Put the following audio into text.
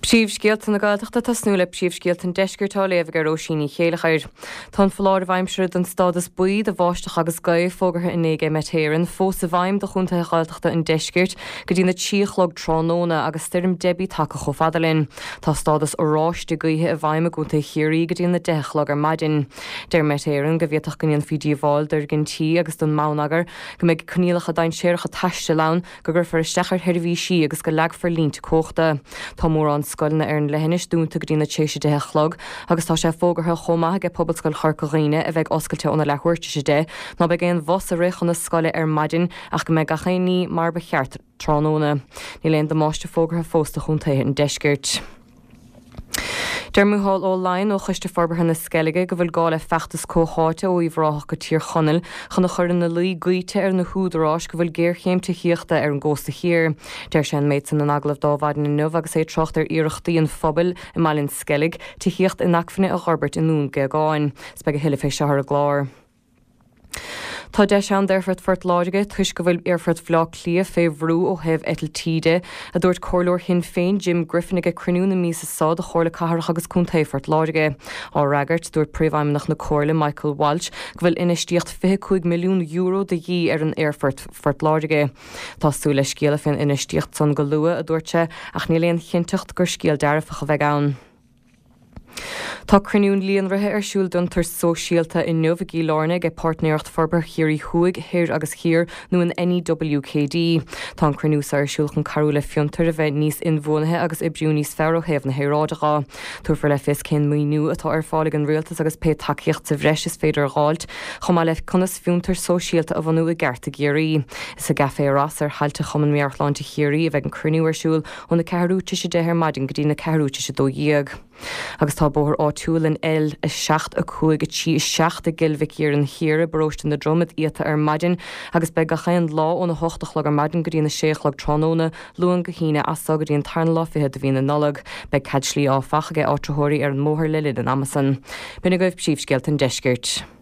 Príomhscéalta na Gaeltachta ag tosnú le príomhscéalta an Deiscirt á léamh ag Róisín Ní Chéilleachair. Tá an foláireamh aimsire don stádas buí do bháisteach agus gaoth fógartha inné ag Met Éireann fós i bhfeidhm do chontaetha Ghaeltachta an Deiscirt go dtí na 3 a chlog tráthnóna agus stoirm Debbie tagtha chomh fada linn. Tá stádas oráiste gaoithe i bhfeidhm i gcontae Chiarraí go dtí na 10 a chlog ar maidin. Deir Met Éireann go bhféadfadh go ndéanfaí díobháil d'fhoirgintí agus don mbonneagar, go mbeidh coinníollacha dainséaracha taistil ann, go gcuirfear isteach ar sheirbhísí agus go leagfar línte cumhachta. Tá mórán scoileanna ar an leithinis dúnta go dtí na tar éis a 10 a chlog agus tá sé fógartha chomh maith aige Pobalscoil Chorca Dhuibhne a bheidh oscailte óna leathuair tar éis a 10 ná beidh aon bhus ag rith chun na scoile ar maidin ach go mbeidh gach aon ní mar ba cheart tráthnóna. Níl aon damáiste fógartha fós do chontaetha an deiscirt. Deir Micheál Ó Laighin ó Choiste Forbartha na Sceilge go bhfuil gá le feachtas comhtháite ó Uíbh Ráthach go Tír Chonaill chun a chur ina luí goíte ar na húdaráis go bhfuil géarchéim tithíochta ar an gcósta thiar. Deir sé an méid san in agallamh d'Adhmhaidin inniu agus é ag trácht ar iarrachtaí an phobail i mBaile an Sceilg tithíocht inacmhainne a dh'fhorbairt i nDún Géagáin. 'S beidh a thuilleadh fé seo ar an gclár. Tá deis ann d'Aerfort Phort Láirge toisc go bhfuil Aerfort Bhaile Átha Cliath fé bhrú ó thaobh eitiltí de, a dúirt Comhairleoir Shinn Féin Jim Griffin ag cruinniú na míosa seo de Chomhairle Cathrach agus Contae Phort Láirge. Á fhreagairt, dúirt Príomhfheidhmeannach na Comhairle Michael Walsh go bhfuil infheistíocht €25 milliún de dhíth ar an Aerfort Phort Láirge. Tá súil le scéala fén infheistíocht san go luath, a dúirt sé, ach níl aon chinnteacht gur scéal dearfach a bheidh ann. Tá cruinniú líonraithe ar siúl d'fhiontar sóisialta inniu i gCill Airne ag Páirtnéireacht Forbartha Chiarraí Thuaidh, Thoir agus Thiar nó an NEWKD. Tá an cruinniú seo ar siúl chun cabhrú le fiontair a bheith níos inbhuanaithe agus oibriú níos fearr ó thaobh na haeráide dhe. Tabharfar le fios cén maoiniú atá ar fáil ag an Rialtas agus pé tacaíocht sa bhreis is féidir a dh'fháilt, chomh maith le conas fiontar sóisialta a bhunú i gceart i gCiarraí. Is i gCafé Ross ar thailte Chumann Meabhairshláinte Chiarraí a bheidh an cruinniú ar siúl óna ceathrú tar éis a 10 ar maidin go dtí na ceathrú tar éis a 12. Agus tá bóthar áitiúil an L7 5 3 7 i gCill Mhic Iarainn Thiar i bparóiste na Dromad iata ar maidin agus beidh gach aon lá óna hocht a chlog ar maidin go dtí na sé a chlog tráthnóna, Luan go hAoine, as so go dtí an tarna lá fichead de mhí na Nollag. Beidh cead slí áfach aige áitritheoirí ar an mbóthar le linn an ama san. B'in agaibh príomhscéalta an deiscirt.